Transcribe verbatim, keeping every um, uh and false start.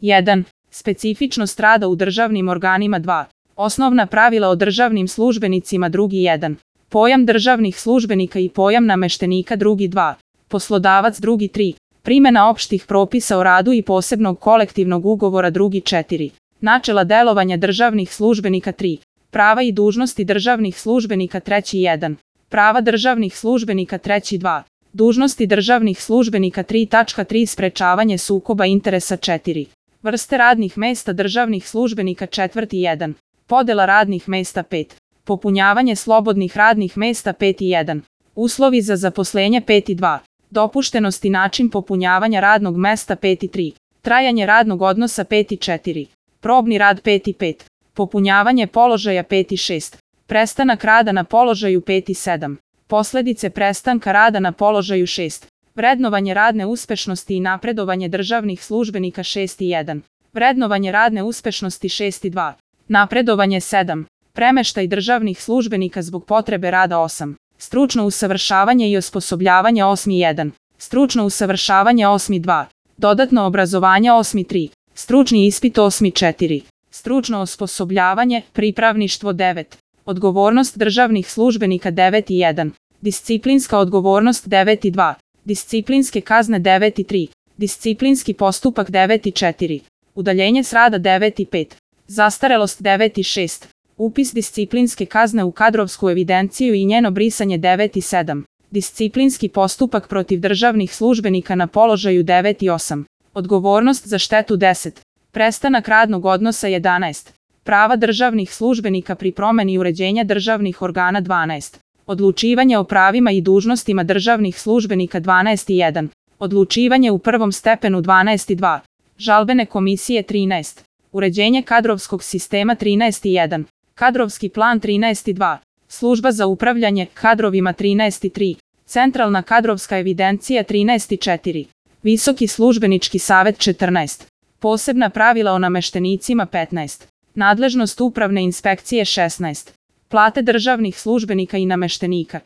jedan. Specifičnost rada u državnim organima. dva. Osnovna pravila o državnim službenicima. Drugi. jedan. Pojam državnih službenika i pojam nameštenika. Drugi. dva. Poslodavac. Drugi. tri. Primjena opštih propisa o radu i posebnog kolektivnog ugovora. Drugi. četiri. Načela delovanja državnih službenika. tri. Prava i dužnosti državnih službenika. Treći. jedan. Prava državnih službenika. Treći. dva. Dužnosti državnih službenika. tri tačka tri. Sprečavanje sukoba interesa. četiri. Vrste radnih mesta državnih službenika. Četvrti. jedan. Podela radnih mesta. pet. Popunjavanje slobodnih radnih mesta. pet. jedan. Uslovi za zaposlenje. pet. dva. Dopuštenost i način popunjavanja radnog mesta. pet. tri. Trajanje radnog odnosa. pet. četiri. Probni rad. pet. pet. Popunjavanje položaja. pet. šest. Prestanak rada na položaju. pet. sedam. Posledice prestanka rada na položaju. šest. Vrednovanje radne uspešnosti i napredovanje državnih službenika. šest. jedan. Vrednovanje radne uspešnosti. šest. dva. Napredovanje. sedam. Premeštaj državnih službenika zbog potrebe rada. osam. Stručno usavršavanje i osposobljavanje. osam. jedan. Stručno usavršavanje. osam. dva. Dodatno obrazovanje. osam. tri. Stručni ispit. osam. četiri. Stručno osposobljavanje, pripravništvo. devet. Odgovornost državnih službenika. devet. jedan. Disciplinska odgovornost. devet. dva. Disciplinske kazne. devet. tri. Disciplinski postupak. devet. četiri. Udaljenje s rada. devet. pet. Zastarelost. devet. šest. Upis disciplinske kazne u kadrovsku evidenciju i njeno brisanje. devet. sedam. Disciplinski postupak protiv državnih službenika na položaju. devet. osam. Odgovornost za štetu. deset. Prestanak radnog odnosa. jedanaest. Prava državnih službenika pri promeni uređenja državnih organa. dvanaest. Odlučivanje o pravima i dužnostima državnih službenika. dvanaest. jedan. Odlučivanje u prvom stepenu. dvanaest. dva. Žalbene komisije. trinaest. Uređenje kadrovskog sistema. trinaest. jedan. Kadrovski plan. trinaest. dva. Služba za upravljanje kadrovima. trinaest. tri. Centralna kadrovska evidencija. trinaest. četiri. Visoki službenički savet. četrnaest. Posebna pravila o nameštenicima. petnaest. Nadležnost upravne inspekcije. šesnaest. Plate državnih službenika i nameštenika.